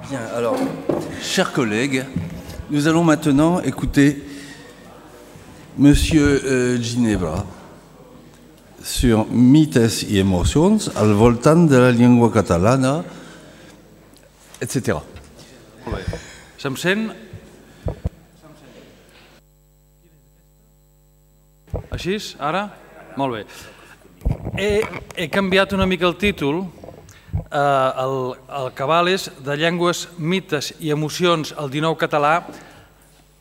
Bien, alors, chers collègues, nous allons maintenant écouter Monsieur Ginebra sur mites y emocions al voltant de la llengua catalana, etc. Molt bé. Se'm sent? Així? Ara? Molt bé. He canviat una mica el títol. El cabal és de llengües, mites i emocions al 19 català,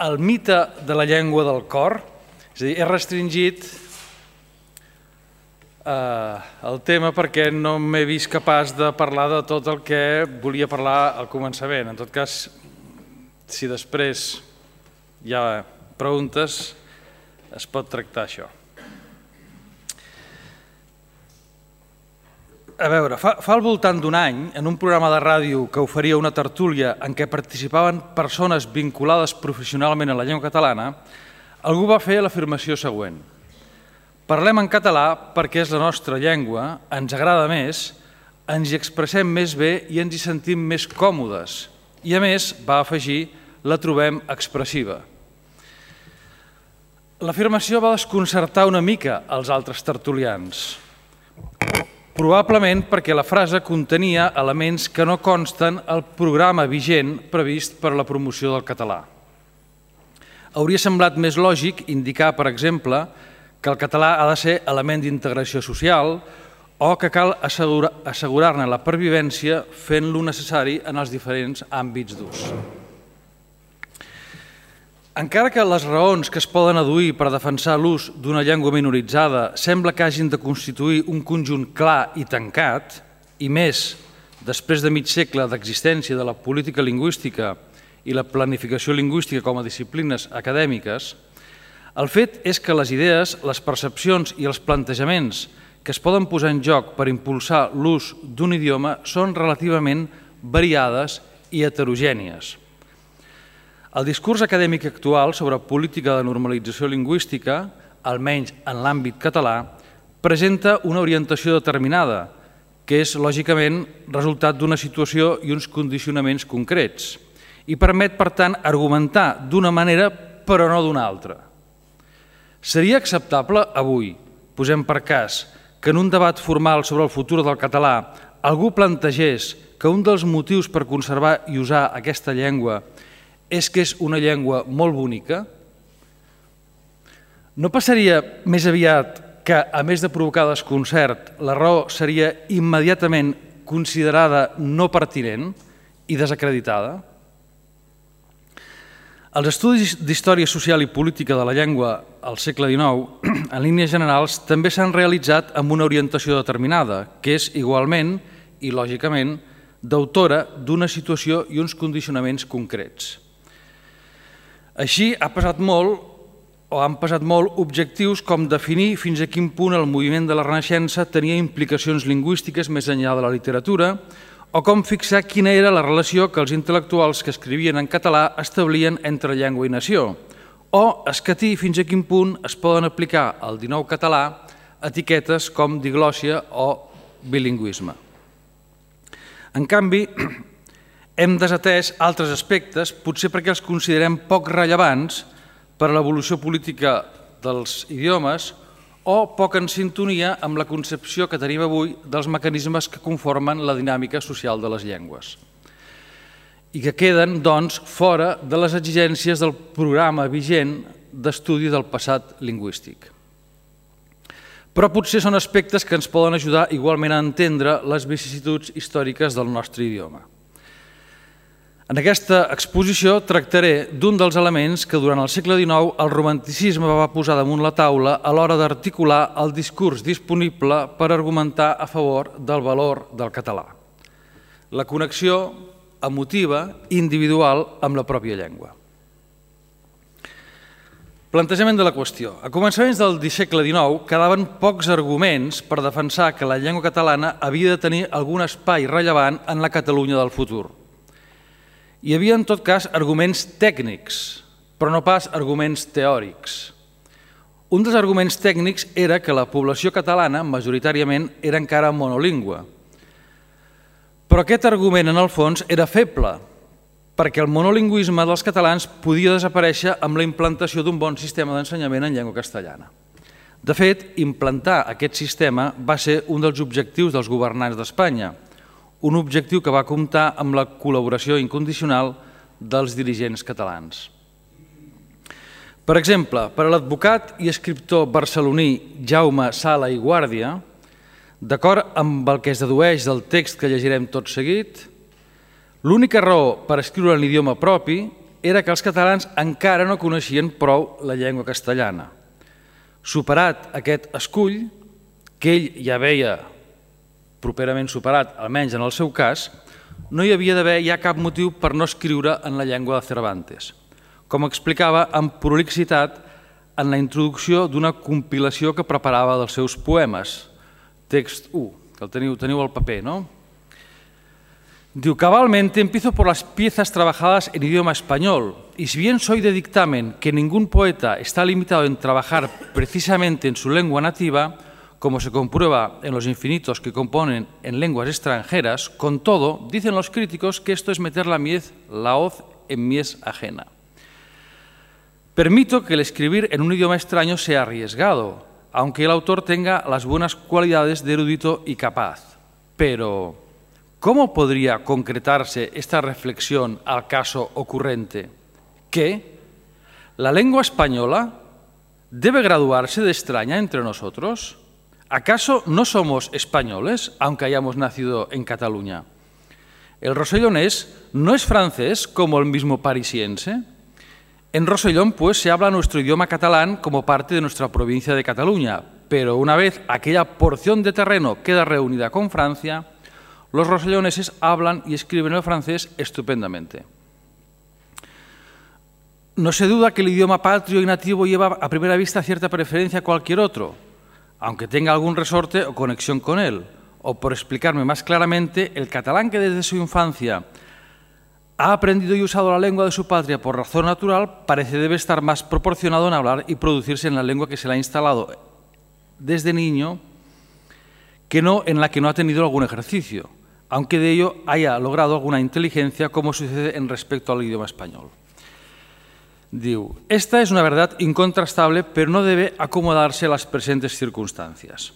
el mite de la llengua del cor. És a dir, he restringit el tema perquè no m'he vist capaç de parlar de tot el que volia parlar al començament. En tot cas, si després hi ha preguntes, es pot tractar això. A veure, fa al voltant d'un any, en un programa de ràdio que oferia una tertúlia en què participaven persones vinculades professionalment a la llengua catalana, algú va fer l'afirmació següent: parlem en català perquè és la nostra llengua, ens agrada més, ens hi expressem més bé i ens hi sentim més còmodes. I a més, va afegir, la trobem expressiva. L'afirmació va desconcertar una mica els altres tertulians, probablement perquè la frase contenia elements que no consten al programa vigent previst per a la promoció del català. Hauria semblat més lògic indicar, per exemple, que el català ha de ser element d'integració social o que cal assegurar-ne la pervivència fent-lo necessari en els diferents àmbits d'ús. Encara que les raons que es poden adduir per defensar l'ús d'una llengua minoritzada sembla que hagin de constituir un conjunt clar i tancat, i més després de mig segle d'existència de la política lingüística i la planificació lingüística com a disciplines acadèmiques, el fet és que les idees, les percepcions i els plantejaments que es poden posar en joc per impulsar l'ús d'un idioma són relativament variades i heterogènies. El discurs acadèmic actual sobre política de normalització lingüística, almenys en l'àmbit català, presenta una orientació determinada, que és, lògicament, resultat d'una situació i uns condicionaments concrets, i permet, per tant, argumentar d'una manera però no d'una altra. Seria acceptable avui, posem per cas, que en un debat formal sobre el futur del català algú plantegés que un dels motius per conservar i usar aquesta llengua és que és una llengua molt bonica? No passaria més aviat que, a més de provocar desconcert, la raó seria immediatament considerada no pertinent i desacreditada? Els estudis d'història social i política de la llengua al segle XIX, en línies generals, també s'han realitzat amb una orientació determinada, que és igualment i lògicament d'autora d'una situació i uns condicionaments concrets. Així han pesat molt objectius com definir fins a quin punt el moviment de la Renaixença tenia implicacions lingüístiques més enllà de la literatura o com fixar quina era la relació que els intel·lectuals que escrivien en català establien entre llengua i nació o escatir fins a quin punt es poden aplicar al 19 català etiquetes com diglòssia o bilingüisme. En canvi, hem desatès altres aspectes, potser perquè els considerem poc rellevants per a l'evolució política dels idiomes o poc en sintonia amb la concepció que tenim avui dels mecanismes que conformen la dinàmica social de les llengües i que queden, doncs, fora de les exigències del programa vigent d'estudi del passat lingüístic. Però potser són aspectes que ens poden ajudar igualment a entendre les vicissituds històriques del nostre idioma. En aquesta exposició tractaré d'un dels elements que durant el segle XIX el romanticisme va posar damunt la taula a l'hora d'articular el discurs disponible per argumentar a favor del valor del català. La connexió emotiva i individual amb la pròpia llengua. Plantejament de la qüestió. A començaments del segle XIX quedaven pocs arguments per defensar que la llengua catalana havia de tenir algun espai rellevant en la Catalunya del futur. Hi havia, en tot cas, arguments tècnics, però no pas arguments teòrics. Un dels arguments tècnics era que la població catalana, majoritàriament, era encara monolingüe. Però aquest argument, en el fons, era feble, perquè el monolingüisme dels catalans podia desaparèixer amb la implantació d'un bon sistema d'ensenyament en llengua castellana. De fet, implantar aquest sistema va ser un dels objectius dels governants d'Espanya, un objectiu que va comptar amb la col·laboració incondicional dels dirigents catalans. Per exemple, per a l'advocat i escriptor barceloní Jaume Sala i Guàrdia, d'acord amb el que es dedueix del text que llegirem tot seguit, l'única raó per escriure en l'idioma propi era que els catalans encara no coneixien prou la llengua castellana. Superat aquest escull, que ell ja veia properament superat, almenys en el seu cas, no hi havia d'haver ja cap motiu per no escriure en la llengua de Cervantes, com explicava amb prolixitat en la introducció d'una compilació que preparava dels seus poemes. Text 1, que el teniu al paper, ¿no? Diu, cabalmente empiezo por las piezas trabajadas en idioma español, y si bien soy de dictamen que ningún poeta está limitado en trabajar precisamente en su lengua nativa, como se comprueba en los infinitos que componen en lenguas extranjeras, con todo, dicen los críticos que esto es meter la hoz en mies ajena. Permito que el escribir en un idioma extraño sea arriesgado, aunque el autor tenga las buenas cualidades de erudito y capaz. Pero, ¿cómo podría concretarse esta reflexión al caso ocurrente? ¿Que la lengua española debe graduarse de extraña entre nosotros? ¿Acaso no somos españoles, aunque hayamos nacido en Cataluña? ¿El rosellonés no es francés como el mismo parisiense? En Rosellón, pues, se habla nuestro idioma catalán como parte de nuestra provincia de Cataluña, pero una vez aquella porción de terreno queda reunida con Francia, los roselloneses hablan y escriben el francés estupendamente. No se duda que el idioma patrio y nativo lleva a primera vista cierta preferencia a cualquier otro, aunque tenga algún resorte o conexión con él, o por explicarme más claramente, el catalán que desde su infancia ha aprendido y usado la lengua de su patria por razón natural, parece debe estar más proporcionado en hablar y producirse en la lengua que se le ha instalado desde niño que no en la que no ha tenido algún ejercicio, aunque de ello haya logrado alguna inteligencia, como sucede en respecto al idioma español. Diu, esta es una verdad incontrastable, pero no debe acomodarse a las presentes circunstancias.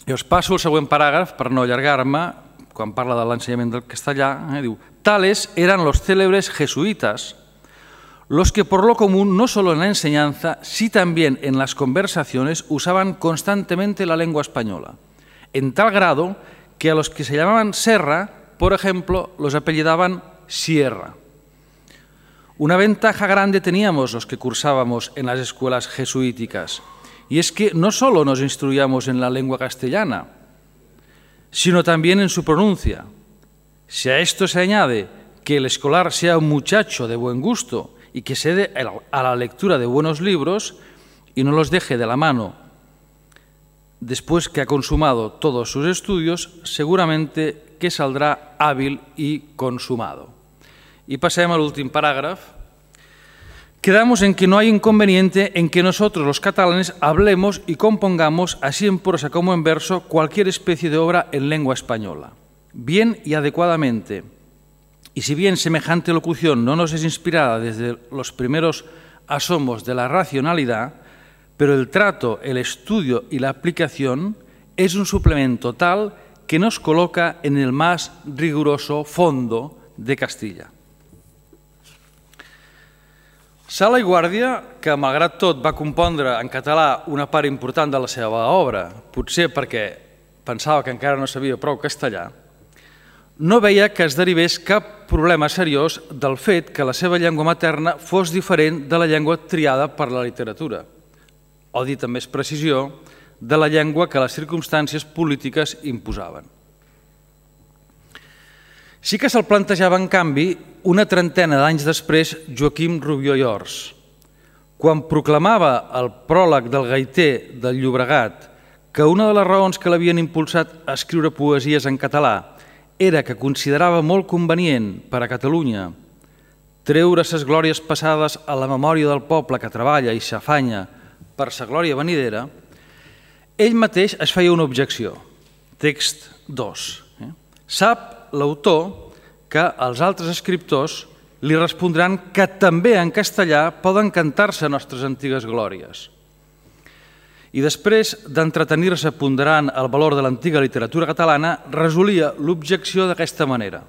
I us passo el següent paràgraf per no allargar-me, quan parla de l'ensenyament del castellà, diu, tales eran los célebres jesuitas, los que por lo común, no solo en la enseñanza, sí también en las conversaciones, usaban constantemente la lengua española, en tal grado que a los que se llamaban Serra, por ejemplo, los apellidaban Sierra. Una ventaja grande teníamos los que cursábamos en las escuelas jesuíticas, y es que no solo nos instruíamos en la lengua castellana, sino también en su pronuncia. Si a esto se añade que el escolar sea un muchacho de buen gusto y que se dé a la lectura de buenos libros y no los deje de la mano después que ha consumado todos sus estudios, seguramente que saldrá hábil y consumado. Y pasemos al último parágrafo. Quedamos en que no hay inconveniente en que nosotros los catalanes hablemos y compongamos, así en prosa como en verso, cualquier especie de obra en lengua española, bien y adecuadamente. Y si bien semejante locución no nos es inspirada desde los primeros asomos de la racionalidad, pero el trato, el estudio y la aplicación es un suplemento tal que nos coloca en el más riguroso fondo de Castilla. Sala i Guàrdia, que malgrat tot va compondre en català una part important de la seva obra, potser perquè pensava que encara no sabia prou castellà, no veia que es derivés cap problema seriós del fet que la seva llengua materna fos diferent de la llengua triada per la literatura, o dit amb més precisió, de la llengua que les circumstàncies polítiques imposaven. Sí que se'l plantejava, en canvi, una trentena d'anys després Joaquim Rubió i Ors, quan proclamava el pròleg del Gaiter del Llobregat que una de les raons que l'havien impulsat a escriure poesies en català era que considerava molt convenient per a Catalunya treure ses glòries passades a la memòria del poble que treballa i s'afanya per sa glòria venidera, ell mateix es feia una objecció. Text 2. Sap l'autor que els altres escriptors li respondran que també en castellà poden cantar-se nostres antigues glòries. I després d'entretenir-se ponderant el valor de l'antiga literatura catalana, resolia l'objecció d'aquesta manera.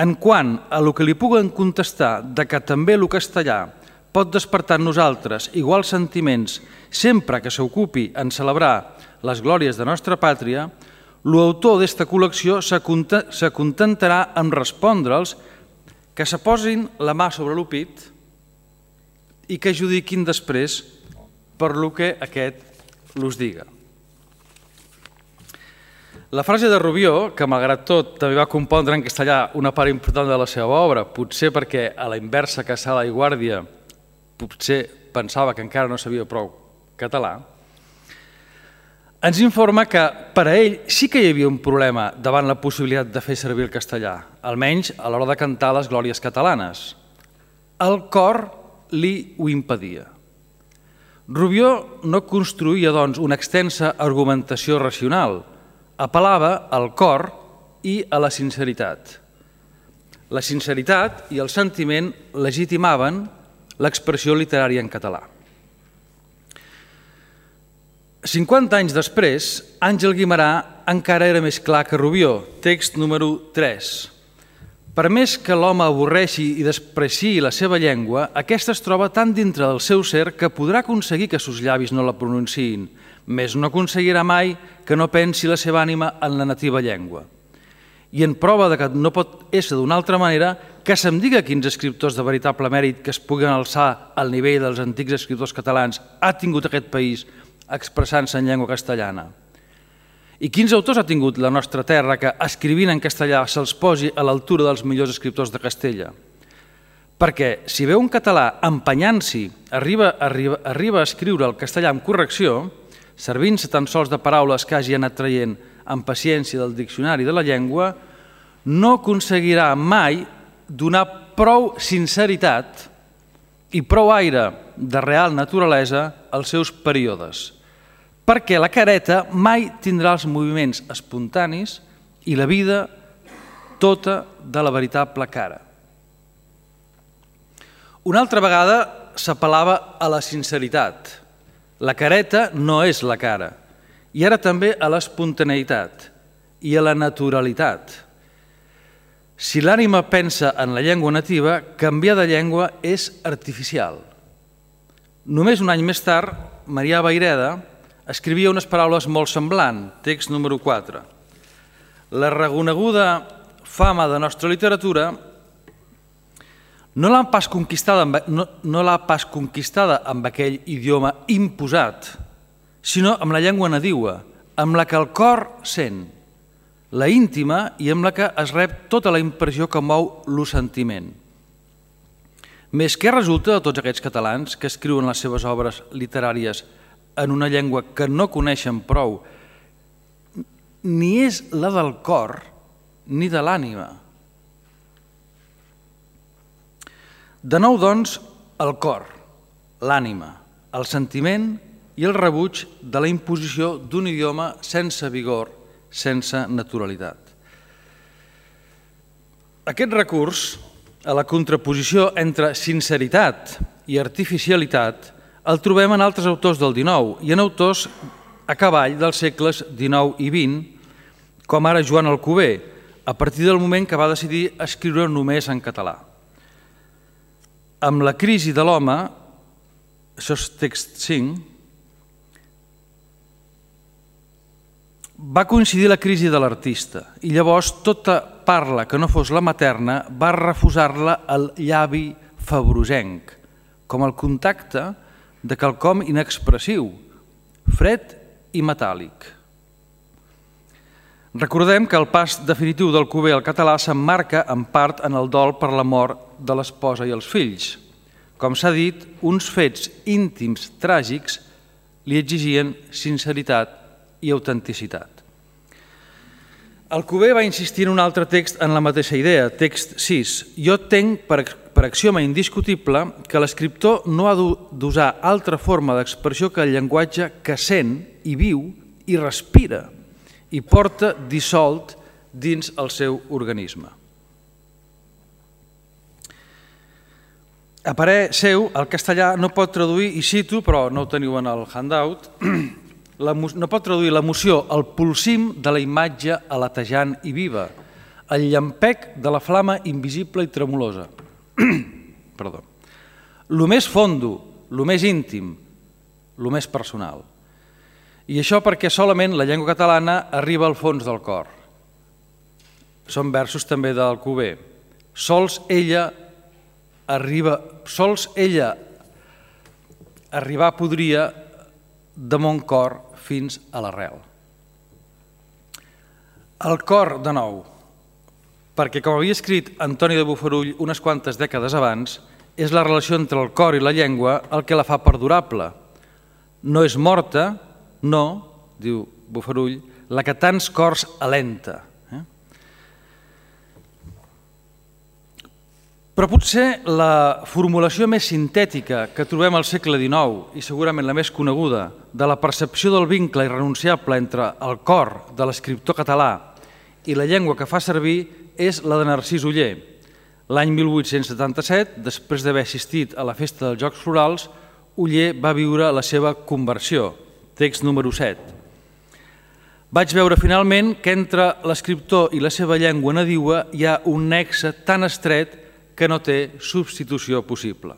En quant a lo que li puguen contestar de que també el castellà pot despertar en nosaltres iguals sentiments sempre que s'ocupi en celebrar les glòries de nostra pàtria, l'autor d'esta col·lecció se contentarà en respondre'ls que se posin la mà sobre el pit i que judiquin després per lo que aquest los diga. La frase de Rubió, que malgrat tot també va compondre en castellà una part important de la seva obra, potser perquè a la inversa que Sala i Guàrdia potser pensava que encara no sabia prou català, ens informa que per a ell sí que hi havia un problema davant la possibilitat de fer servir el castellà, almenys a l'hora de cantar les glòries catalanes. El cor li ho impedia. Rubió no construïa, doncs, una extensa argumentació racional, apel·lava al cor i a la sinceritat. La sinceritat i el sentiment legitimaven l'expressió literària en català. 50 anys després, Àngel Guimerà encara era més clar que Rubió, text número 3. Per més que l'home avorreixi i despreciï la seva llengua, aquesta es troba tan dintre del seu ser que podrà aconseguir que sus llavis no la pronunciïn, més no aconseguirà mai que no pensi la seva ànima en la nativa llengua. I en prova de que no pot ésser d'una altra manera, que se'm diga quins escriptors de veritable mèrit que es puguen alçar al nivell dels antics escriptors catalans ha tingut aquest país expressant-se en llengua castellana. I quins autors ha tingut la nostra terra que, escrivint en castellà, se'ls posi a l'altura dels millors escriptors de Castella? Perquè si veu un català empenyant-s'hi, arriba a escriure el castellà amb correcció, servint-se tan sols de paraules que hagi anat traient amb paciència del diccionari de la llengua, no aconseguirà mai donar prou sinceritat i prou aire de real naturalesa als seus períodes, perquè la careta mai tindrà els moviments espontanis i la vida tota de la veritable cara. Una altra vegada s'apel·lava a la sinceritat. La careta no és la cara, i ara també a l'espontaneïtat i a la naturalitat. Si l'ànima pensa en la llengua nativa, canviar de llengua és artificial. Només un any més tard, Marià Vayreda escrivia unes paraules molt semblants, text número 4. La reconeguda fama de nostra literatura no l'ha pas conquistada amb aquell idioma imposat, sinó amb la llengua nadiua, amb la que el cor sent, la íntima i amb la que es rep tota la impressió que mou el sentiment. Més què resulta de tots aquests catalans que escriuen les seves obres literàries en una llengua que no coneixen prou, ni és la del cor ni de l'ànima. De nou, doncs, el cor, l'ànima, el sentiment i el rebuig de la imposició d'un idioma sense vigor, sense naturalitat. Aquest recurs a la contraposició entre sinceritat i artificialitat el trobem en altres autors del XIX i en autors a cavall dels segles XIX i XX, com ara Joan Alcover, a partir del moment que va decidir escriure només en català. Amb la crisi de l'home, això és text 5, va coincidir la crisi de l'artista i llavors tota parla que no fos la materna va refusar-la al llavi febrosenc, com el contacte de quelcom inexpressiu, fred i metàl·lic. Recordem que el pas definitiu d'Alcover al català s'emmarca en part en el dol per la mort de l'esposa i els fills. Com s'ha dit, uns fets íntims tràgics li exigien sinceritat i autenticitat. Alcover va insistir en un altre text en la mateixa idea, text 6. Jo tenc per axioma indiscutible que l'escriptor no ha d'usar altra forma d'expressió que el llenguatge que sent i viu i respira i porta dissolt dins el seu organisme. A parer seu, el castellà no pot traduir, i cito, però no ho teniu en el handout, no pot traduir l'emoció al pulsim de la imatge aletejant i viva, el llampec de la flama invisible i tremolosa. Perdó. Lo més fondo, lo més íntim, lo més personal. I això perquè solament la llengua catalana arriba al fons del cor. Són versos també d'Alcover. Sols ella arribar podria de mon cor fins a l'arrel. El cor, de nou, perquè com havia escrit Antoni de Bofarull unes quantes dècades abans, és la relació entre el cor i la llengua el que la fa perdurable. No és morta, no, diu Bofarull, la que tants cors alenta. Però potser la formulació més sintètica que trobem al segle XIX, i segurament la més coneguda, de la percepció del vincle irrenunciable entre el cor de l'escriptor català i la llengua que fa servir és la de Narcís Oller. L'any 1877, després d'haver assistit a la Festa dels Jocs Florals, Oller va viure la seva conversió, text número 7. Vaig veure finalment que entre l'escriptor i la seva llengua nadiua hi ha un nexe tan estret que no té substitució possible.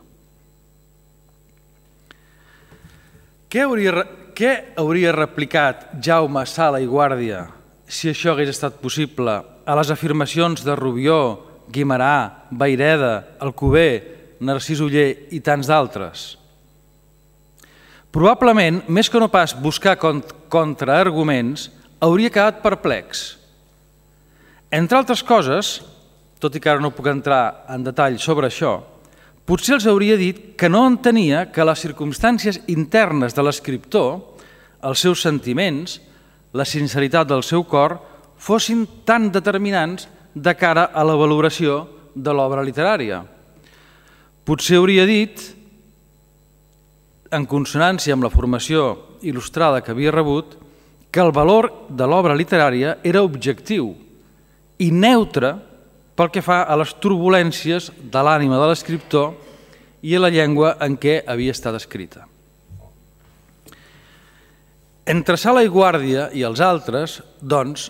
Què hauria replicat Jaume Sala i Guàrdia si això hagués estat possible a les afirmacions de Rubió, Guimerà, Vayreda, Alcover, Narcís Oller i tants d'altres? Probablement, més que no pas buscar contraarguments, hauria quedat perplex. Entre altres coses, tot i que ara no puc entrar en detall sobre això, potser els hauria dit que no entenia que les circumstàncies internes de l'escriptor, els seus sentiments, la sinceritat del seu cor, fossin tan determinants de cara a la valoració de l'obra literària. Potser hauria dit, en consonància amb la formació il·lustrada que havia rebut, que el valor de l'obra literària era objectiu i neutre pel que fa a les turbulències de l'ànima de l'escriptor i a la llengua en què havia estat escrita. Entre Sala i Guàrdia i els altres, doncs,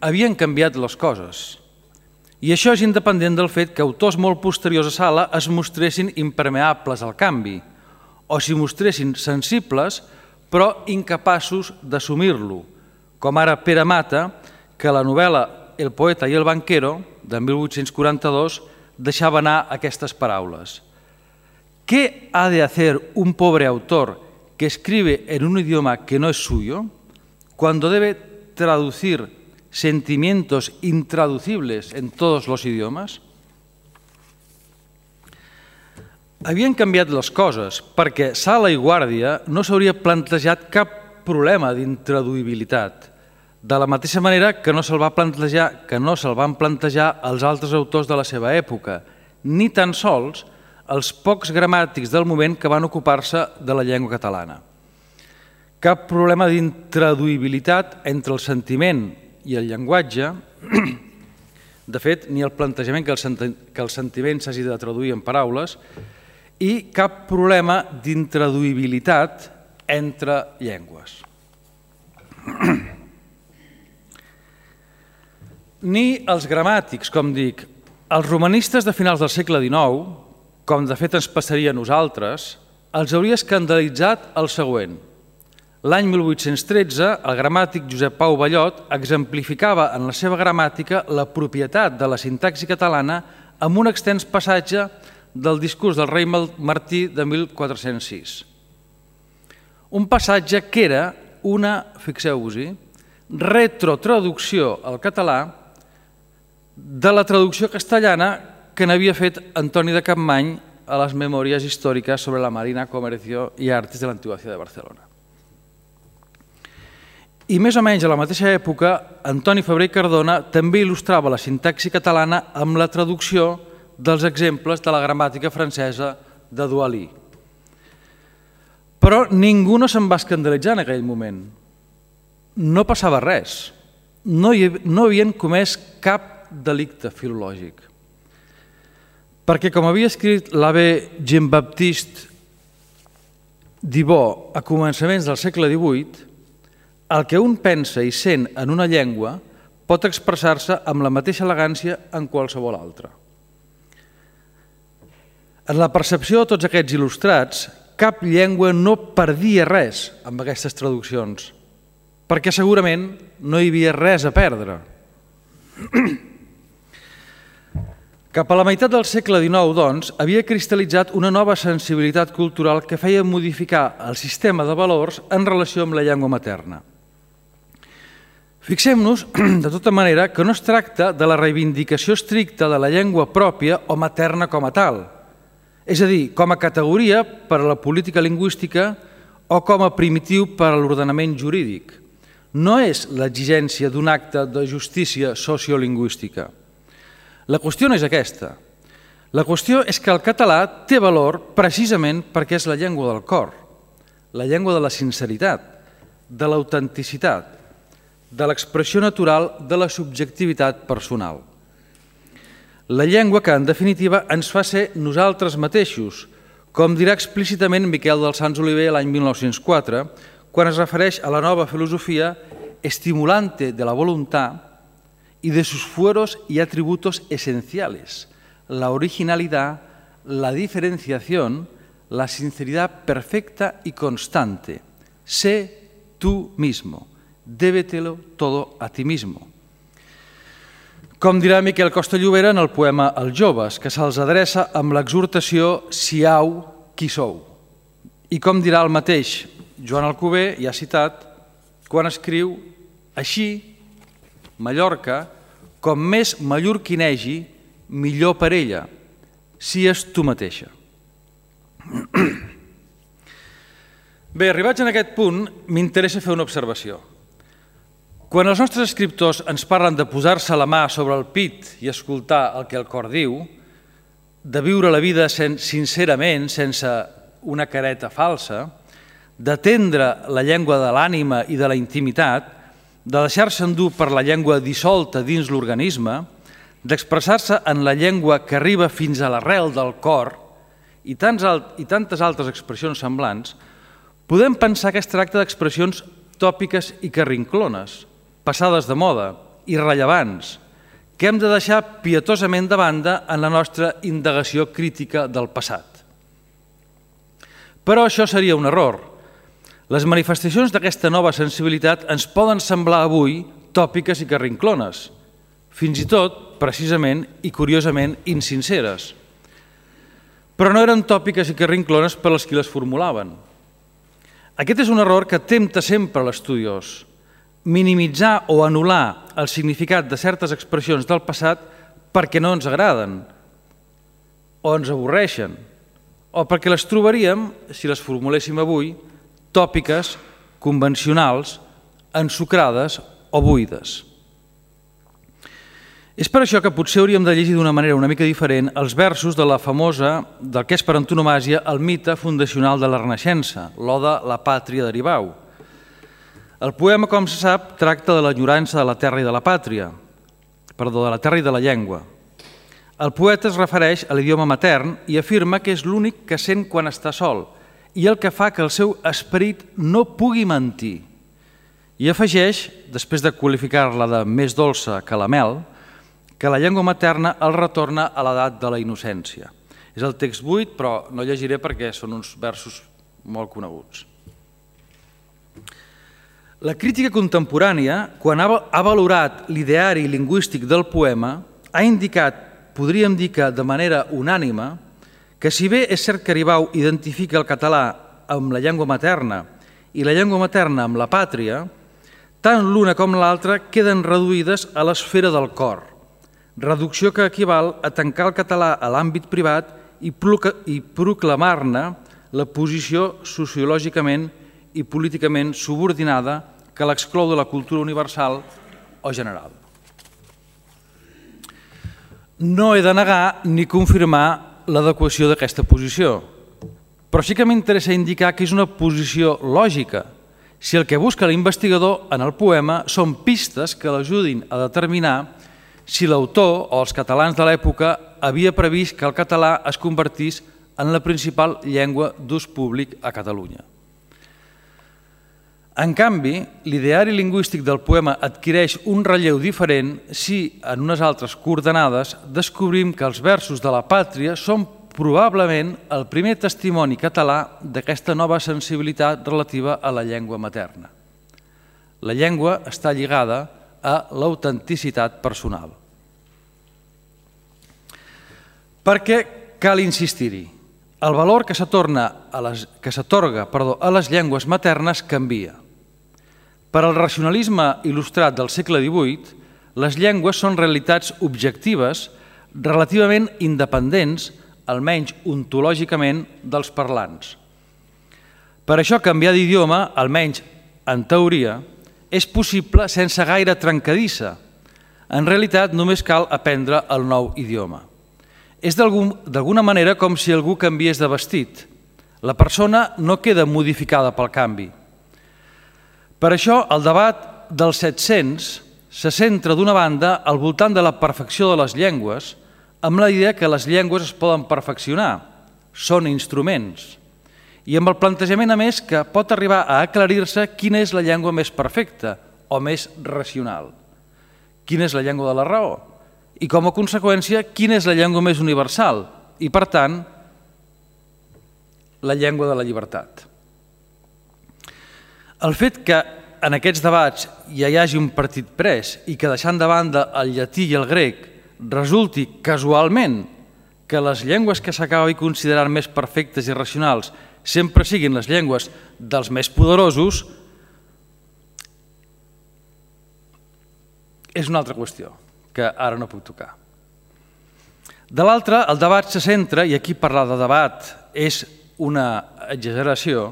havien canviat les coses. I això és independent del fet que autors molt posteriors a Sala es mostressin impermeables al canvi, o s'hi mostressin sensibles però incapaços d'assumir-lo, com ara Pere Mata, que la novel·la El poeta y el banquero, de 1842, deixava anar aquestes paraules. ¿Qué ha de hacer un pobre autor que escribe en un idioma que no es suyo, cuando debe traducir sentimientos intraducibles en todos los idiomas? Havien canviat les coses perquè Sala i Guàrdia no s'hauria plantejat cap problema d'intraduïbilitat, de la mateixa manera que no se'l van plantejar els altres autors de la seva època, ni tan sols els pocs gramàtics del moment que van ocupar-se de la llengua catalana. Cap problema d'intraduïbilitat entre el sentiment i el llenguatge, de fet, ni el plantejament que el sentiment s'hagi de traduir en paraules, i cap problema d'intraduïbilitat entre llengües. Ni els gramàtics, com dic, els romanistes de finals del segle XIX, com de fet ens passaria a nosaltres, els hauria escandalitzat el següent. L'any 1813, el gramàtic Josep Pau Ballot exemplificava en la seva gramàtica la propietat de la sintaxi catalana amb un extens passatge del discurs del rei Martí de 1406. Un passatge que era una, fixeu-vos-hi, retrotraducció al català de la traducció castellana que n'havia fet Antoni de Capmany a les Memòries històriques sobre la Marina, Comercio i Artes de l'antiga ciutat de Barcelona. I més o menys a la mateixa època, Antoni Febrer i Cardona també il·lustrava la sintaxi catalana amb la traducció dels exemples de la gramàtica francesa de Douali. Però ningú no se'n va escandalitzar en aquell moment. No passava res. no havien comès cap delicte filològic. Perquè, com havia escrit l'abbé Jean-Baptiste Dibot a començaments del segle XVIII, el que un pensa i sent en una llengua pot expressar-se amb la mateixa elegància en qualsevol altra. En la percepció de tots aquests il·lustrats, cap llengua no perdia res amb aquestes traduccions, perquè segurament no hi havia res a perdre. Cap a la meitat del segle XIX, doncs, havia cristal·litzat una nova sensibilitat cultural que feia modificar el sistema de valors en relació amb la llengua materna. Fixem-nos, de tota manera, que no es tracta de la reivindicació estricta de la llengua pròpia o materna com a tal, és a dir, com a categoria per a la política lingüística o com a primitiu per a l'ordenament jurídic. No és l'exigència d'un acte de justícia sociolingüística. La qüestió no és aquesta. La qüestió és que el català té valor precisament perquè és la llengua del cor, la llengua de la sinceritat, de l'autenticitat, de l'expressió natural de la subjectivitat personal. La llengua que, en definitiva, ens fa ser nosaltres mateixos, com dirà explícitament Miquel dels Sants Oliver l'any 1904, quan es refereix a la nova filosofia estimulante de la voluntad y de sus fueros y atributos esenciales, la originalidad, la diferenciación, la sinceridad perfecta y constante. Sé tú mismo, débetelo todo a ti mismo. Com dirà Miquel Costa Llobera en el poema Els joves, que se'ls adreça amb l'exhortació «Siau qui sou». I com dirà el mateix Joan Alcover, ja citat, quan escriu «Així, Mallorca, com més mallorquinegi, millor per ella, sies tu mateixa». Bé, arribats en aquest punt, m'interessa fer una observació. Quan els nostres escriptors ens parlen de posar-se la mà sobre el pit i escoltar el que el cor diu, de viure la vida sincerament, sense una careta falsa, d'atendre la llengua de l'ànima i de la intimitat, de deixar-se endur per la llengua dissolta dins l'organisme, d'expressar-se en la llengua que arriba fins a l'arrel del cor i tantes altres expressions semblants, podem pensar que es tracta d'expressions tòpiques i carrinclones, passades de moda, irrellevants, que hem de deixar pietosament de banda en la nostra indagació crítica del passat. Però això seria un error. Les manifestacions d'aquesta nova sensibilitat ens poden semblar avui tòpiques i carrinclones, fins i tot, precisament i curiosament, insinceres. Però no eren tòpiques i carrinclones per als qui les formulaven. Aquest és un error que tempta sempre l'estudiós, minimitzar o anul·lar el significat de certes expressions del passat perquè no ens agraden, o ens avorreixen, o perquè les trobaríem, si les formuléssim avui, tòpiques, convencionals, ensucrades o buides. És per això que potser hauríem de llegir d'una manera una mica diferent els versos de la famosa, del que és per antonomàsia, el mite fundacional de la Renaixença, l'Oda La Pàtria d'Aribau. El poema, com se sap, tracta de l'enyorança de la terra i de la pàtria, perdó, de la terra i de la llengua. El poeta es refereix a l'idioma matern i afirma que és l'únic que sent quan està sol i el que fa que el seu esperit no pugui mentir. I afegeix, després de qualificar-la de més dolça que la mel, que la llengua materna el retorna a l'edat de la innocència. És el text buit, però no llegiré perquè són uns versos molt coneguts. La crítica contemporània, quan ha valorat l'ideari lingüístic del poema, ha indicat, podríem dir que de manera unànime, que si bé és cert que Aribau identifica el català amb la llengua materna i la llengua materna amb la pàtria, tant l'una com l'altra queden reduïdes a l'esfera del cor, reducció que equival a tancar el català a l'àmbit privat i proclamar-ne la posició sociològicament i políticament subordinada que l'exclou de la cultura universal o general. No he de negar ni confirmar l'adequació d'aquesta posició, però sí que m'interessa indicar que és una posició lògica, si el que busca l'investigador en el poema són pistes que l'ajudin a determinar si l'autor o els catalans de l'època havia previst que el català es convertís en la principal llengua d'ús públic a Catalunya. En canvi, l'ideari lingüístic del poema adquireix un relleu diferent si, en unes altres coordenades, descobrim que els versos de la Pàtria són probablement el primer testimoni català d'aquesta nova sensibilitat relativa a la llengua materna. La llengua està lligada a l'autenticitat personal. Perquè cal insistir-hi, el valor que s'atorga a les llengües maternes canvia. Per al racionalisme il·lustrat del segle XVIII, les llengües són realitats objectives relativament independents, almenys ontològicament, dels parlants. Per això canviar d'idioma, almenys en teoria, és possible sense gaire trencadissa. En realitat només cal aprendre el nou idioma. És d'alguna manera com si algú canviés de vestit. La persona no queda modificada pel canvi. Per això el debat dels 700 se centra d'una banda al voltant de la perfecció de les llengües, amb la idea que les llengües es poden perfeccionar, són instruments, i amb el plantejament a més que pot arribar a aclarir-se quina és la llengua més perfecta o més racional, quina és la llengua de la raó i, com a conseqüència, quina és la llengua més universal i, per tant, la llengua de la llibertat. El fet que en aquests debats ja hi hagi un partit pres i que, deixant de banda el llatí i el grec, resulti casualment que les llengües que s'acaben considerant més perfectes i racionals sempre siguin les llengües dels més poderosos, és una altra qüestió que ara no puc tocar. De l'altra, el debat se centra, i aquí parlar de debat és una exageració,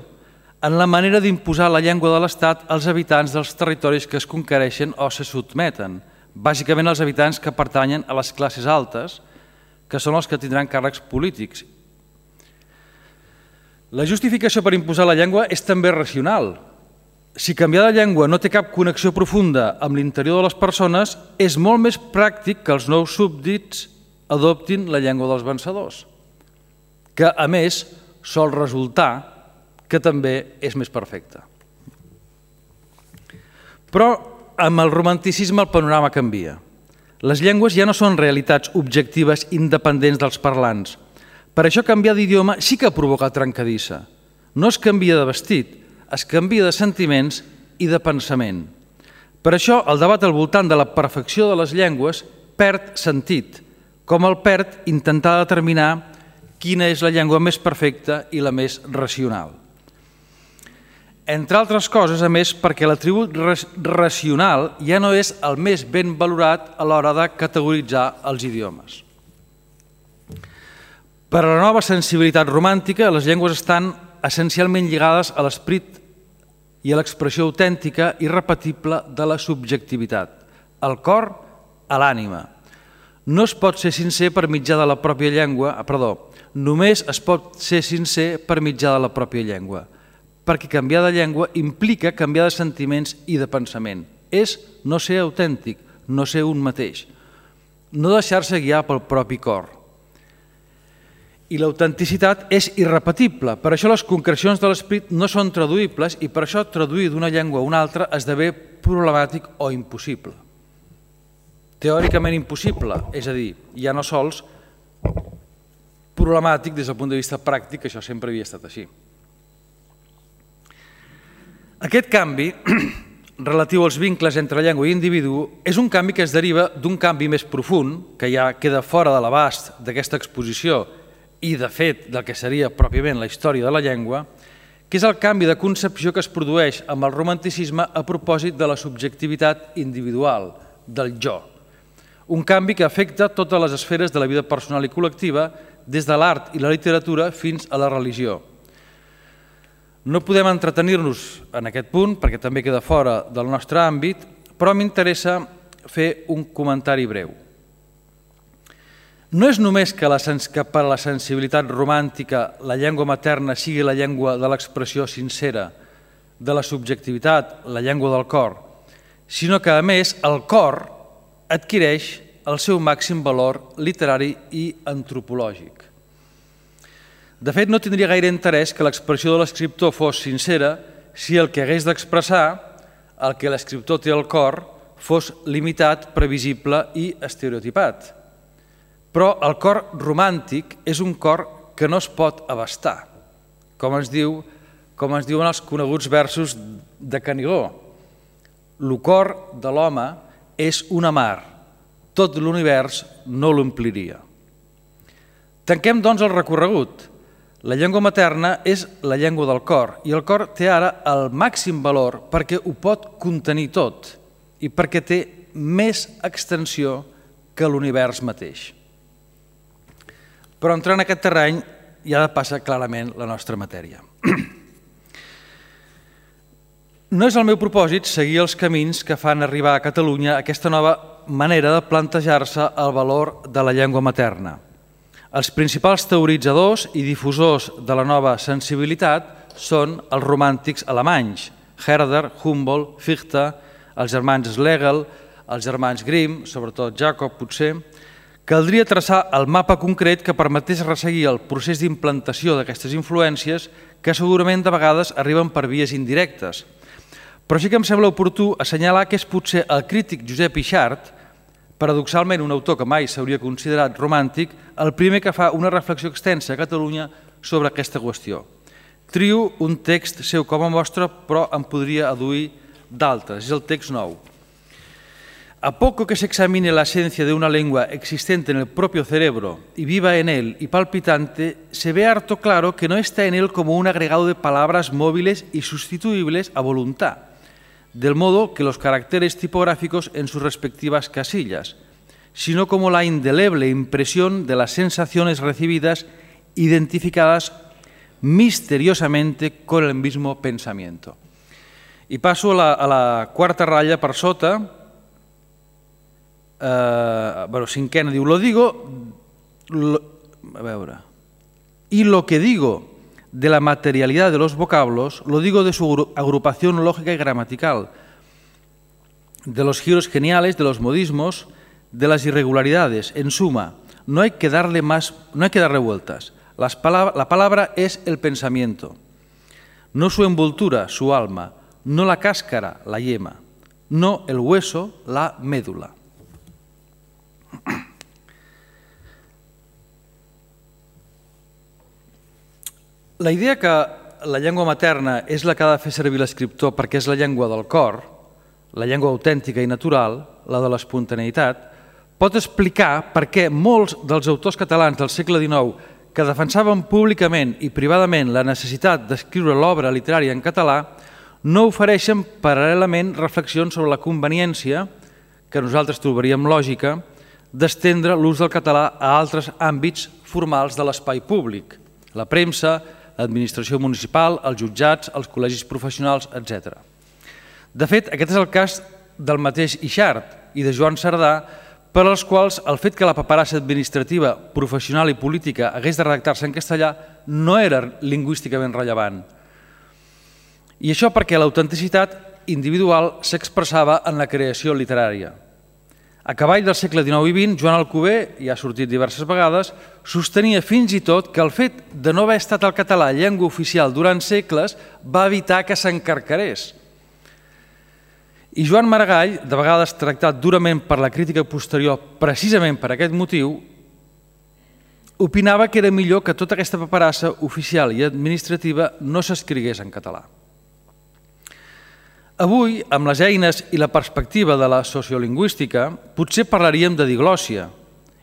en la manera d'imposar la llengua de l'Estat als habitants dels territoris que es conquereixen o se sotmeten, bàsicament els habitants que pertanyen a les classes altes, que són els que tindran càrrecs polítics. La justificació per imposar la llengua és també racional. Si canviar de llengua no té cap connexió profunda amb l'interior de les persones, és molt més pràctic que els nous súbdits adoptin la llengua dels vencedors, que, a més, sol resultar que també és més perfecta. Però amb el romanticisme el panorama canvia. Les llengües ja no són realitats objectives independents dels parlants. Per això canviar d'idioma sí que provoca trencadissa. No es canvia de vestit, es canvia de sentiments i de pensament. Per això el debat al voltant de la perfecció de les llengües perd sentit, com el perd intentar determinar quina és la llengua més perfecta i la més racional. Entre altres coses, a més, perquè l'atribut racional ja no és el més ben valorat a l'hora de categoritzar els idiomes. Per a la nova sensibilitat romàntica, les llengües estan essencialment lligades a l'esperit i a l'expressió autèntica i repetible de la subjectivitat, al cor, a l'ànima. No es pot ser sincer per mitjà de la pròpia llengua, només es pot ser sincer per mitjà de la pròpia llengua, perquè canviar de llengua implica canviar de sentiments i de pensament. És no ser autèntic, no ser un mateix, no deixar-se guiar pel propi cor. I l'autenticitat és irrepetible, per això les concrecions de l'esperit no són traduïbles i per això traduir d'una llengua a una altra esdevé problemàtic o impossible. Teòricament impossible, és a dir, ja no sols problemàtic des del punt de vista pràctic, que això sempre havia estat així. Aquest canvi, relatiu als vincles entre llengua i individu, és un canvi que es deriva d'un canvi més profund, que ja queda fora de l'abast d'aquesta exposició i, de fet, del que seria pròpiament la història de la llengua, que és el canvi de concepció que es produeix amb el romanticisme a propòsit de la subjectivitat individual, del jo. Un canvi que afecta totes les esferes de la vida personal i col·lectiva, des de l'art i la literatura fins a la religió. No podem entretenir-nos en aquest punt, perquè també queda fora del nostre àmbit, però m'interessa fer un comentari breu. No és només que per a la sensibilitat romàntica la llengua materna sigui la llengua de l'expressió sincera de la subjectivitat, la llengua del cor, sinó que, a més, el cor adquireix el seu màxim valor literari i antropològic. De fet, no tindria gaire interès que l'expressió de l'escriptor fos sincera si el que hagués d'expressar, el que l'escriptor té al cor, fos limitat, previsible i estereotipat. Però el cor romàntic és un cor que no es pot abastar, com ens diuen els coneguts versos de Canigó. Lo cor de l'home és una mar, tot l'univers no l'ompliria. Tanquem, doncs, el recorregut. La llengua materna és la llengua del cor i el cor té ara el màxim valor perquè ho pot contenir tot i perquè té més extensió que l'univers mateix. Però entrant en aquest terreny ja passa clarament la nostra matèria. No és el meu propòsit seguir els camins que fan arribar a Catalunya aquesta nova manera de plantejar-se el valor de la llengua materna. Els principals teoritzadors i difusors de la nova sensibilitat són els romàntics alemanys, Herder, Humboldt, Fichte, els germans Schlegel, els germans Grimm, sobretot Jacob potser. Caldria traçar el mapa concret que permetés resseguir el procés d'implantació d'aquestes influències que segurament de vegades arriben per vies indirectes. Però sí que em sembla oportú assenyalar que és potser el crític Josep Yxart, paradoxalment un autor que mai s'hauria considerat romàntic, el primer que fa una reflexió extensa a Catalunya sobre aquesta qüestió. Trio un text seu com a mostra, però en podria adduir d'altres. És el text 9. A poco que se examine la esencia de una lengua existente en el propio cerebro y viva en él y palpitante, se ve harto claro que no está en él como un agregado de palabras móviles y sustituibles a voluntad, del modo que los caracteres tipográficos en sus respectivas casillas, sino como la indeleble impresión de las sensaciones recibidas identificadas misteriosamente con el mismo pensamiento. I passo a la quarta ratlla per sota, cinquena, diu, y lo que digo de la materialidad de los vocablos, lo digo de su agrupación lógica y gramatical, de los giros geniales, de los modismos, de las irregularidades. En suma, no hay que darle vueltas. La palabra es el pensamiento, no su envoltura, su alma, no la cáscara, la yema, no el hueso, la médula. La idea que la llengua materna és la que ha de fer servir l'escriptor perquè és la llengua del cor, la llengua autèntica i natural, la de l'espontaneïtat, pot explicar per què molts dels autors catalans del segle XIX que defensaven públicament i privadament la necessitat d'escriure l'obra literària en català no ofereixen paral·lelament reflexions sobre la conveniència, que nosaltres trobaríem lògica, d'estendre l'ús del català a altres àmbits formals de l'espai públic, la premsa, l'administració municipal, els jutjats, els col·legis professionals, etc. De fet, aquest és el cas del mateix Yxart i de Joan Cerdà, per als quals el fet que la paperassa administrativa, professional i política hagués de redactar-se en castellà no era lingüísticament rellevant. I això perquè l'autenticitat individual s'expressava en la creació literària. A cavall del segle XIX i XX, Joan Alcover, i ha sortit diverses vegades, sostenia fins i tot que el fet de no haver estat el català llengua oficial durant segles va evitar que s'encarcarés. I Joan Maragall, de vegades tractat durament per la crítica posterior precisament per aquest motiu, opinava que era millor que tota aquesta paperassa oficial i administrativa no s'escrigués en català. Avui, amb les eines i la perspectiva de la sociolingüística, potser parlaríem de diglòssia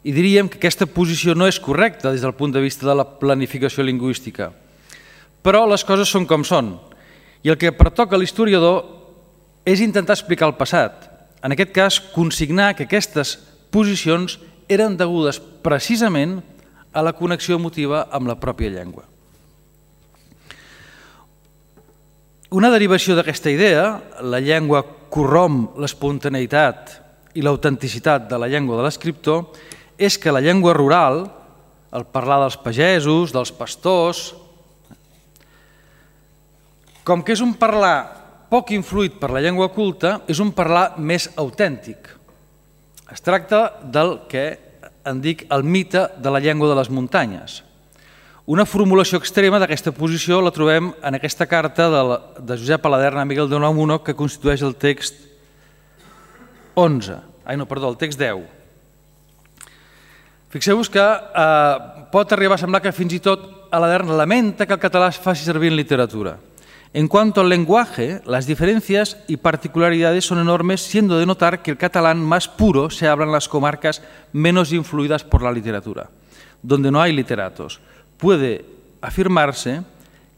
i diríem que aquesta posició no és correcta des del punt de vista de la planificació lingüística. Però les coses són com són i el que pertoca a l'historiador és intentar explicar el passat. En aquest cas, consignar que aquestes posicions eren degudes precisament a la connexió emotiva amb la pròpia llengua. Una derivació d'aquesta idea, la llengua corromp l'espontaneïtat i l'autenticitat de la llengua de l'escriptor, és que la llengua rural, el parlar dels pagesos, dels pastors, Com que és un parlar poc influït per la llengua culta, és un parlar més autèntic. Es tracta del que en dic el mite de la llengua de les muntanyes. Una formulació extrema d'aquesta posició la trobem en aquesta carta de Josep Aladerna a Miguel de Unamuno, que constitueix el text 10. Fixeu-vos que pot arribar a semblar que fins i tot Aladerna lamenta que el català es faci servir en literatura. En cuanto al lenguaje, las diferencias y particularidades son enormes, siendo de notar que el catalán más puro se habla en las comarcas menos influidas por la literatura, donde no hay literatos. Puede afirmarse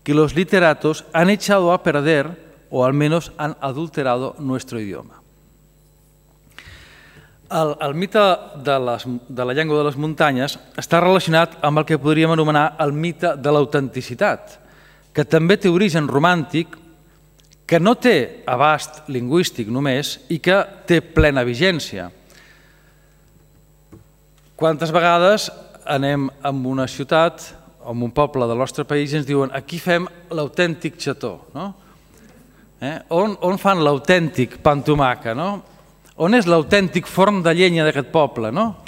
que los literatos han echado a perder o al menos han adulterado nuestro idioma. El mite de la llengua de les muntanyes està relacionat amb el que podríem anomenar el mite de l'autenticitat, que també té origen romàntic, que no té abast lingüístic només i que té plena vigència. Quantes vegades anem a una ciutat o a un poble del nostre país i ens diuen aquí fem l'autèntic xató, no? On fan l'autèntic pa amb tomàquet, no? On és l'autèntic forn de llenya d'aquest poble, no?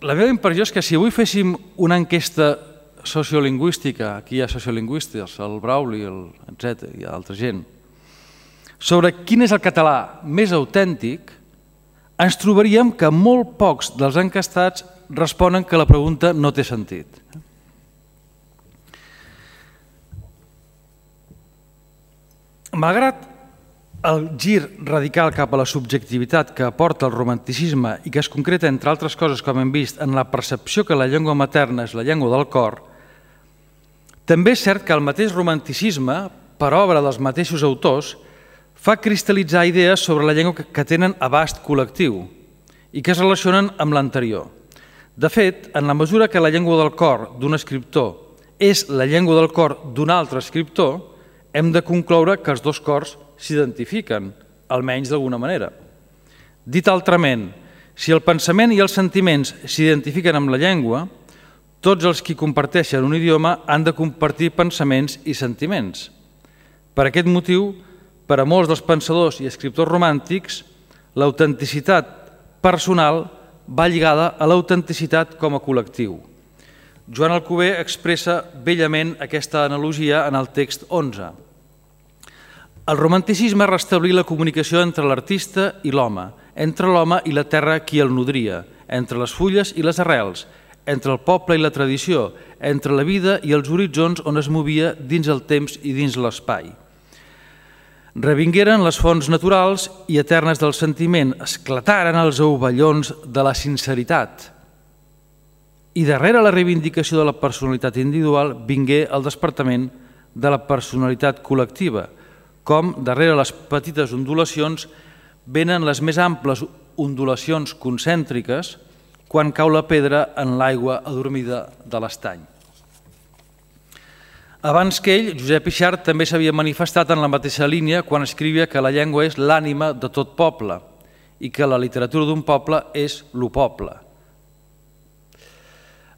La meva impressió és que si avui féssim una enquesta sociolingüística, aquí hi ha sociolingüistes, el Brauli, etc., hi ha altra gent, sobre quin és el català més autèntic, ens trobaríem que molt pocs dels encastats responen que la pregunta no té sentit. Malgrat el gir radical cap a la subjectivitat que aporta el romanticisme i que es concreta, entre altres coses, com hem vist, en la percepció que la llengua materna és la llengua del cor, també és cert que el mateix romanticisme, per obra dels mateixos autors, fa cristal·litzar idees sobre la llengua que tenen abast col·lectiu i que es relacionen amb l'anterior. De fet, en la mesura que la llengua del cor d'un escriptor és la llengua del cor d'un altre escriptor, hem de concloure que els dos cors s'identifiquen, almenys d'alguna manera. Dit altrament, si el pensament i els sentiments s'identifiquen amb la llengua, tots els qui comparteixen un idioma han de compartir pensaments i sentiments. Per aquest motiu, per a molts dels pensadors i escriptors romàntics, l'autenticitat personal va lligada a l'autenticitat com a col·lectiu. Joan Alcover expressa bellament aquesta analogia en el text 11. El romanticisme restablí la comunicació entre l'artista i l'home, entre l'home i la terra qui el nodria, entre les fulles i les arrels, entre el poble i la tradició, entre la vida i els horitzons on es movia dins el temps i dins l'espai. Revingueren les fonts naturals i eternes del sentiment, esclataren els ovellons de la sinceritat. I darrere la reivindicació de la personalitat individual vingué el despertament de la personalitat col·lectiva, com darrere les petites ondulacions venen les més amples ondulacions concèntriques quan cau la pedra en l'aigua adormida de l'estany. Abans que ell, Josep Yxart també s'havia manifestat en la mateixa línia quan escrivia que la llengua és l'ànima de tot poble i que la literatura d'un poble és lo poble.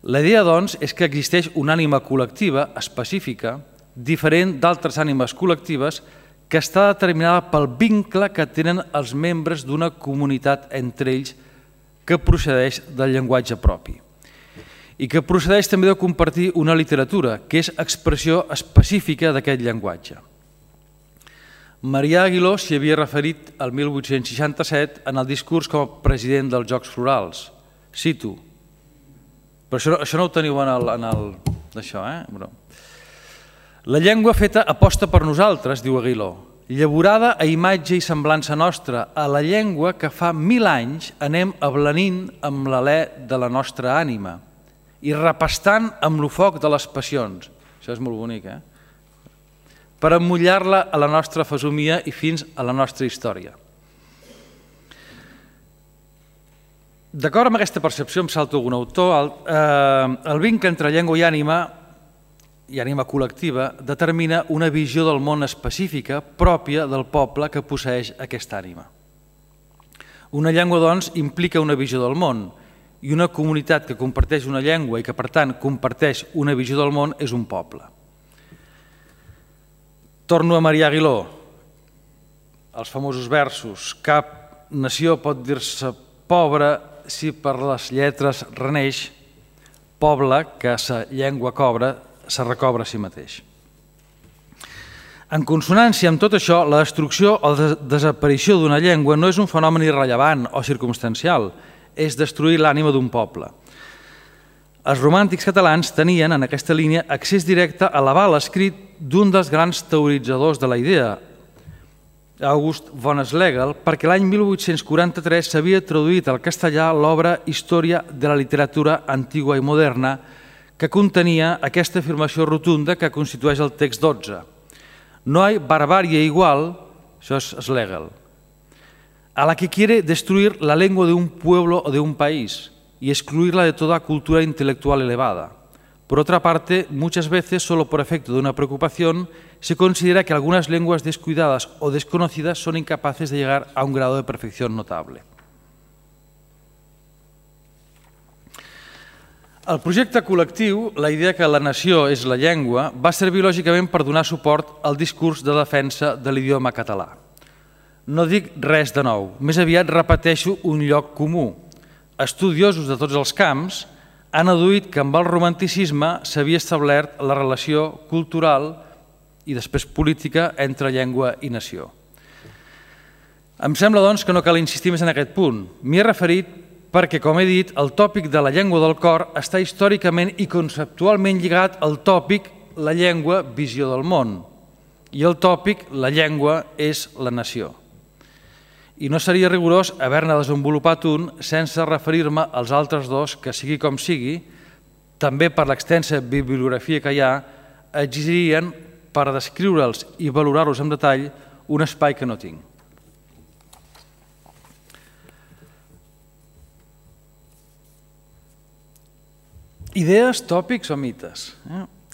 La idea, doncs, és que existeix una ànima col·lectiva específica, diferent d'altres ànimes col·lectives, que està determinada pel vincle que tenen els membres d'una comunitat entre ells que procedeix del llenguatge propi i que procedeix també de compartir una literatura, que és expressió específica d'aquest llenguatge. Marià Aguiló s'hi havia referit el 1867 en el discurs com a president dels Jocs Florals. Cito. Però això no ho teniu d'això, La llengua feta aposta per nosaltres, diu Aguiló, llavorada a imatge i semblança nostra, a la llengua que fa 1000 anys anem ablanint amb l'alè de la nostra ànima i repastant amb lo foc de les passions. Això és molt bonic, per emmullar-la a la nostra fesomia i fins a la nostra història. D'acord amb aquesta percepció, em salto algun autor, el vincle entre llengua i ànima col·lectiva determina una visió del món específica pròpia del poble que posseeix aquesta ànima. Una llengua, doncs, implica una visió del món i una comunitat que comparteix una llengua i que, per tant, comparteix una visió del món és un poble. Torno a Marià Aguiló, els famosos versos: cap nació pot dir-se pobra si per les lletres reneix, poble que sa llengua cobra, se recobra a si mateix. En consonància amb tot això, la destrucció o desaparició d'una llengua no és un fenomen irrellevant o circumstancial, és destruir l'ànima d'un poble. Els romàntics catalans tenien, en aquesta línia, accés directe a l'aval escrit d'un dels grans teoritzadors de la idea, August von Schlegel, perquè l'any 1843 s'havia traduït al castellà l'obra Història de la literatura antigua i moderna, que contenia aquesta afirmació rotunda que constitueix el text 12. No hay barbarie igual, això és Schlegel, a la que quiere destruir la lengua de un pueblo o de un país y excluirla de toda cultura intelectual elevada. Por otra parte, muchas veces, solo por efecto de una preocupación, se considera que algunas lenguas descuidadas o desconocidas son incapaces de llegar a un grado de perfección notable. El projecte col·lectiu, la idea que la nació és la llengua, va servir lògicament per donar suport al discurs de defensa de l'idioma català. No dic res de nou, més aviat repeteixo un lloc comú. Estudiosos de tots els camps han adduït que amb el romanticisme s'havia establert la relació cultural i després política entre llengua i nació. Em sembla, doncs, que no cal insistir més en aquest punt. M'hi he referit perquè, com he dit, el tòpic de la llengua del cor està històricament i conceptualment lligat al tòpic la llengua, visió del món, i el tòpic la llengua és la nació. I no seria rigorós haver-ne desenvolupat un sense referir-me als altres dos que, sigui com sigui, també per l'extensa bibliografia que hi ha, exigirien, per descriure'ls i valorar-los en detall, un espai que no tinc. Idees, tòpics o mites?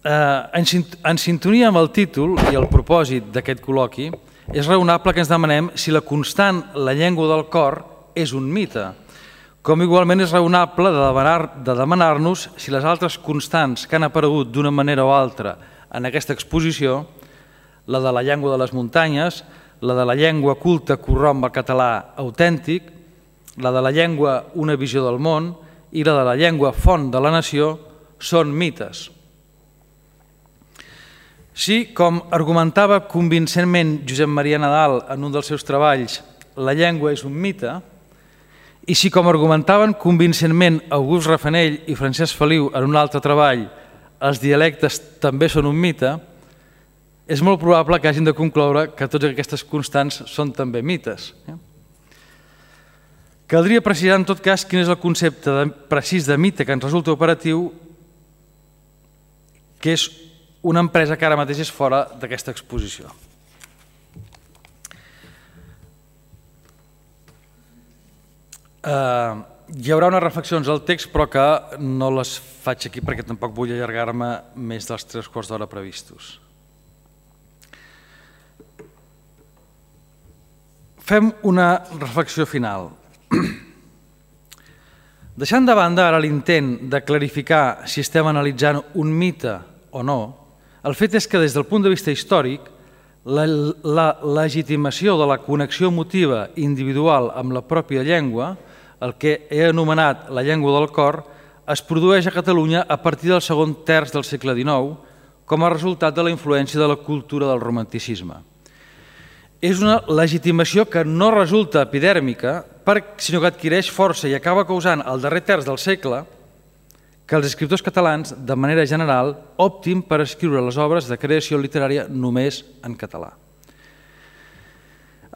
En sintonia amb el títol i el propòsit d'aquest col·loqui, és raonable que ens demanem si la constant la llengua del cor és un mite, com igualment és raonable de demanar-nos si les altres constants que han aparegut d'una manera o altra en aquesta exposició, la de la llengua de les muntanyes, la de la llengua culta corromp el català autèntic, la de la llengua una visió del món, i la de la llengua font de la nació, són mites. Si, com argumentava convincentment Josep Maria Nadal en un dels seus treballs, la llengua és un mite, i si, com argumentaven convincentment August Rafanell i Francesc Feliu en un altre treball, els dialectes també són un mite, és molt probable que hagin de concloure que totes aquestes constants són també mites. Caldria precisar en tot cas quin és el concepte precís de mite que ens resulta operatiu, que és una empresa que ara mateix és fora d'aquesta exposició. Hi haurà unes reflexions al text, però que no les faig aquí perquè tampoc vull allargar-me més dels 3/4 d'hora previstos. Fem una reflexió final. Deixant de banda ara l'intent de clarificar si estem analitzant un mite o no, el fet és que des del punt de vista històric la legitimació de la connexió emotiva individual amb la pròpia llengua, el que he anomenat la llengua del cor, es produeix a Catalunya a partir del segon terç del segle XIX com a resultat de la influència de la cultura del romanticisme. És una legitimació que no resulta epidèrmica, sinó que adquireix força i acaba causant al darrer terç del segle que els escriptors catalans, de manera general, optin per escriure les obres de creació literària només en català.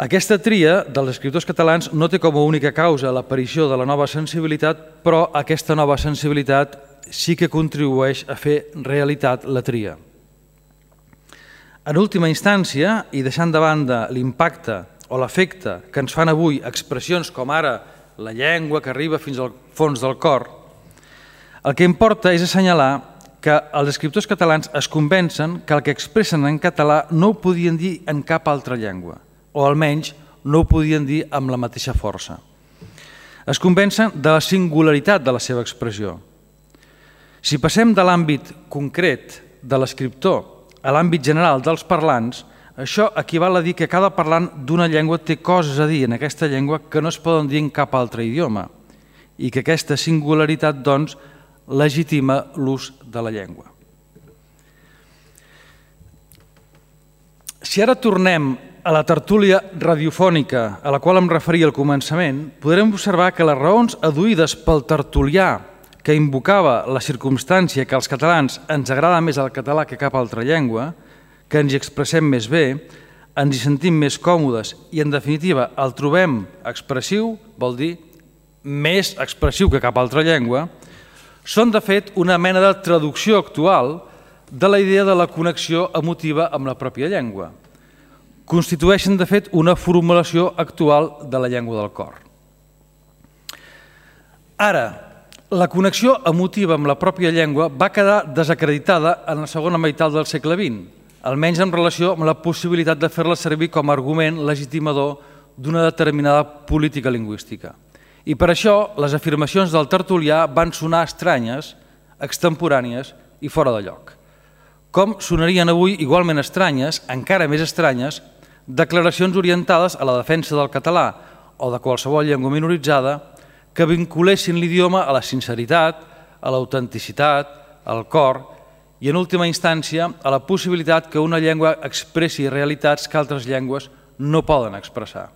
Aquesta tria dels escriptors catalans no té com a única causa l'aparició de la nova sensibilitat, però aquesta nova sensibilitat sí que contribueix a fer realitat la tria. En última instància, i deixant de banda l'impacte o l'efecte que ens fan avui expressions com ara la llengua que arriba fins al fons del cor, el que importa és assenyalar que els escriptors catalans es convencen que el que expressen en català no ho podien dir en cap altra llengua, o almenys no ho podien dir amb la mateixa força. Es convencen de la singularitat de la seva expressió. Si passem de l'àmbit concret de l'escriptor a l'àmbit general dels parlants, això equival a dir que cada parlant d'una llengua té coses a dir en aquesta llengua que no es poden dir en cap altre idioma i que aquesta singularitat, doncs, legitima l'ús de la llengua. Si ara tornem a la tertúlia radiofònica a la qual em referia al començament, podrem observar que les raons adduïdes pel tertulià que invocava la circumstància que als catalans ens agrada més el català que cap altra llengua, que ens hi expressem més bé, ens hi sentim més còmodes i, en definitiva, el trobem expressiu, vol dir més expressiu que cap altra llengua, són, de fet, una mena de traducció actual de la idea de la connexió emotiva amb la pròpia llengua. Constitueixen, de fet, una formulació actual de la llengua del cor. Ara, la connexió emotiva amb la pròpia llengua va quedar desacreditada en la segona meitat del segle XX, almenys en relació amb la possibilitat de fer-la servir com a argument legitimador d'una determinada política lingüística. I per això les afirmacions del tertulià van sonar estranyes, extemporànies i fora de lloc. Com sonarien avui igualment estranyes, encara més estranyes, declaracions orientades a la defensa del català o de qualsevol llengua minoritzada que vinculessin l'idioma a la sinceritat, a l'autenticitat, al cor i, en última instància, a la possibilitat que una llengua expressi realitats que altres llengües no poden expressar.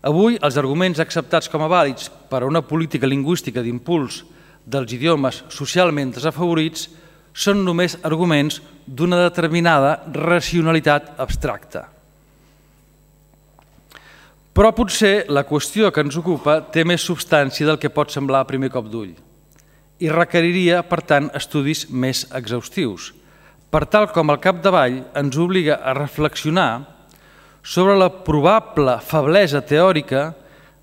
Avui, els arguments acceptats com a vàlids per a una política lingüística d'impuls dels idiomes socialment desafavorits són només arguments d'una determinada racionalitat abstracta. Però potser la qüestió que ens ocupa té més substància del que pot semblar a primer cop d'ull i requeriria, per tant, estudis més exhaustius, per tal com al capdavall ens obliga a reflexionar sobre la probable feblesa teòrica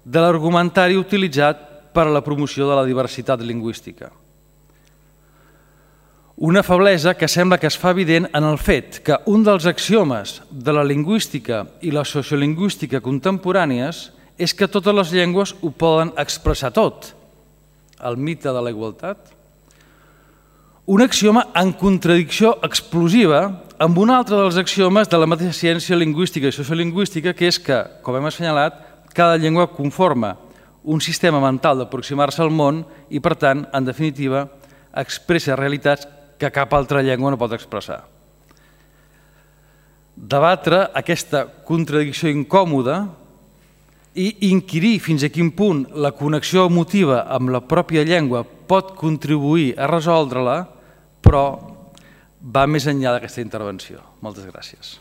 de l'argumentari utilitzat per a la promoció de la diversitat lingüística. Una feblesa que sembla que es fa evident en el fet que un dels axiomes de la lingüística i la sociolingüística contemporànies és que totes les llengües ho poden expressar tot, el mite de la igualtat. Un axioma en contradicció explosiva amb un altre dels axiomes de la mateixa ciència lingüística i sociolingüística, que és que, com hem assenyalat, cada llengua conforma un sistema mental d'aproximar-se al món i, per tant, en definitiva, expressa realitats que cap altra llengua no pot expressar. Debatre aquesta contradicció incòmoda i inquirir fins a quin punt la connexió emotiva amb la pròpia llengua pot contribuir a resoldre-la, però va més enllà d'aquesta intervenció. Moltes gràcies.